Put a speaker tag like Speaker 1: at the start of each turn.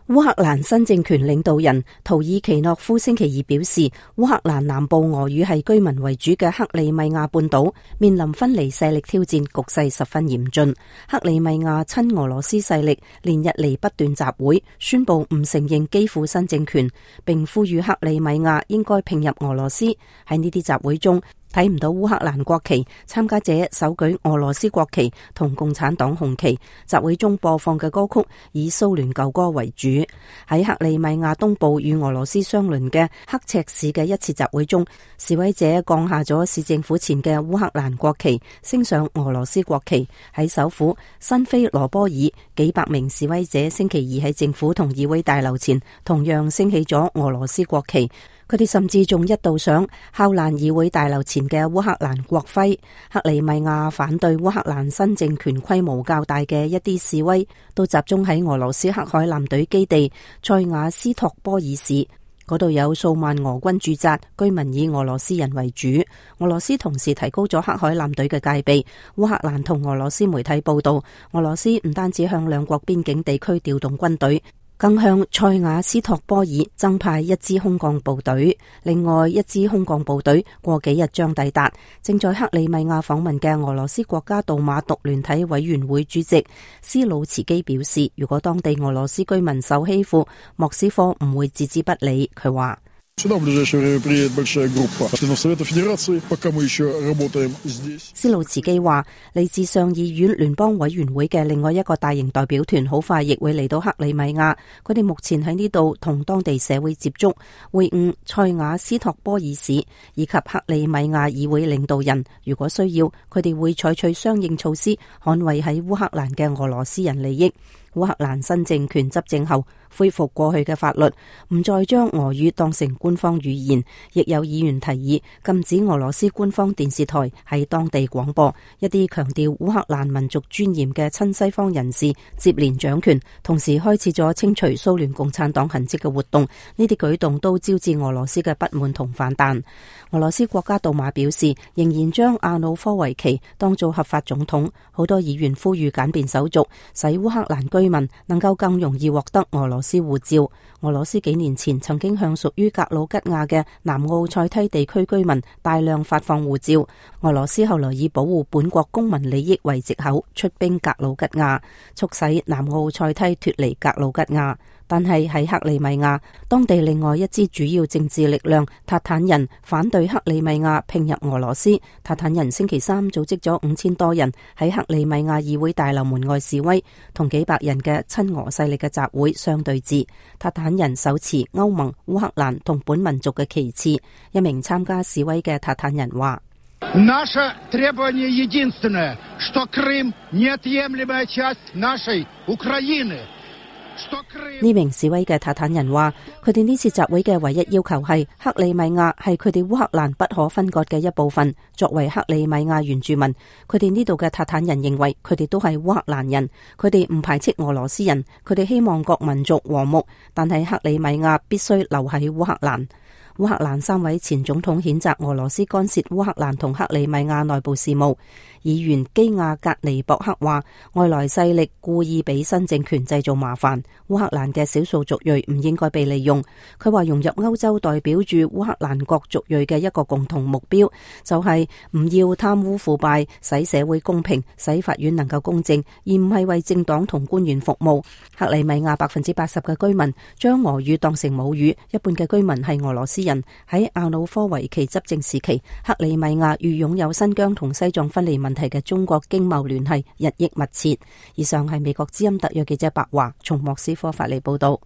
Speaker 1: 烏克蘭新政權領導人圖爾奇諾夫星期二表示，烏克蘭南部俄語系居民為主嘅克里米亞半島面臨分離勢力挑戰，局勢十分嚴峻。克里米亞親俄羅斯勢力連日嚟不斷集會，宣布唔承認基輔新政權，並呼籲克里米亞應該併入俄羅斯。喺呢啲集會中，睇唔到烏克蘭國旗，參加者手舉俄羅斯國旗同共產黨紅旗。集會中播放嘅歌曲以蘇聯舊歌為主。喺克里米亞東部與俄羅斯相鄰嘅刻赤市嘅一次集會中，示威者降下咗市政府前嘅烏克蘭國旗，升上俄羅斯國旗。喺首府新菲羅波爾，幾百名示威者星期二喺政府同議會大樓前同樣升起咗俄羅斯國旗。佢哋甚至仲一度想敲爛議會大樓前嘅烏克蘭國徽。克里米亞反對烏克蘭新政權規模較大嘅一啲示威，都集中喺俄羅斯黑海艦隊基地塞瓦斯托波爾市，嗰度有數萬俄軍駐紮，居民以俄羅斯人為主。俄羅斯同時提高咗黑海艦隊嘅戒備。烏克蘭同俄羅斯媒體報道，俄羅斯唔單止向兩國邊境地區調動軍隊，更向塞瓦斯托波爾增派一支空降部隊，另外一支空降部隊過幾日將抵達。正在克里米亞訪問嘅俄羅斯國家杜馬獨聯體委員會主席斯魯茨基表示，如果當地俄羅斯居民受欺負，莫斯科唔會置之不理。佢話斯魯茨基話，嚟自上議院聯邦委員會嘅另外一個大型代表團好快亦會嚟到克里米亞，佢哋目前喺呢度同當地社會接觸，會晤塞瓦斯托波爾市以及克里米亞議會領導人。如果需要，佢哋會採取相應措施，捍衛喺烏克蘭嘅俄羅斯人利益。烏克蘭新政權執政後，恢復過去嘅法律，唔再將俄語當成官方語言，亦有議員提議禁止俄羅斯官方電視台喺當地廣播。一啲強調烏克蘭民族尊嚴嘅親西方人士接連掌權，同時開始咗清除蘇聯共產黨痕跡嘅活動。呢啲舉動都招致俄羅斯嘅不滿同反彈。俄羅斯國家杜馬表示，仍然將亞努科維奇當做合法總統。好多議員呼籲簡便手續，使烏克蘭居民能夠更容易獲得俄羅斯護照。俄羅斯幾年前曾經向屬於格魯吉亞嘅南奧塞梯地區居民大量發放護照。俄羅斯後來以保護本國公民利益為藉口，出兵格魯吉亞，促使南奧塞梯脫離格魯吉亞。但係喺克里米亞，當地另外一支主要政治力量塔坦人反對克里米亞併入俄羅斯。塔坦人星期三組織咗5000多人喺克里米亞議會大樓門外示威，同幾百人嘅親俄勢力嘅集會相對峙。塔坦人手持歐盟、烏克蘭同本民族嘅旗幟。一名參加示威嘅塔坦人話：Наше
Speaker 2: требование единственное, что Крым неотъемлемая часть нашей Украины。
Speaker 1: 呢名示威嘅塔坦人話，佢哋呢次集會嘅唯一要求係克里米亞係佢哋烏克蘭不可分割嘅一部分。作為克里米亞原住民，佢哋呢度嘅塔坦人認為佢哋都係烏克蘭人，佢哋唔排斥俄羅斯人，佢哋希望各民族和睦，但係克里米亞必須留喺烏克蘭。烏克蘭3位前總統譴責俄羅斯干涉烏克蘭同克里米亞內部事務。議員基亞格尼博克話，外來勢力故意俾新政權製造麻煩，烏克蘭嘅少數族裔唔應該被利用。佢話融入歐洲代表住烏克蘭各族裔嘅一個共同目標，就係唔要貪污腐敗，使社會公平，使法院能夠公正，而唔係為政黨同官員服務。克里米亞80%嘅居民將俄語當成母語，一半嘅居民係俄羅斯人。喺亞努科維奇執政時期，克里米亞與擁有新疆同西藏分離問題嘅中國經貿聯繫日益密切。以上係美國之音特約記者白華從莫斯科發嚟報道。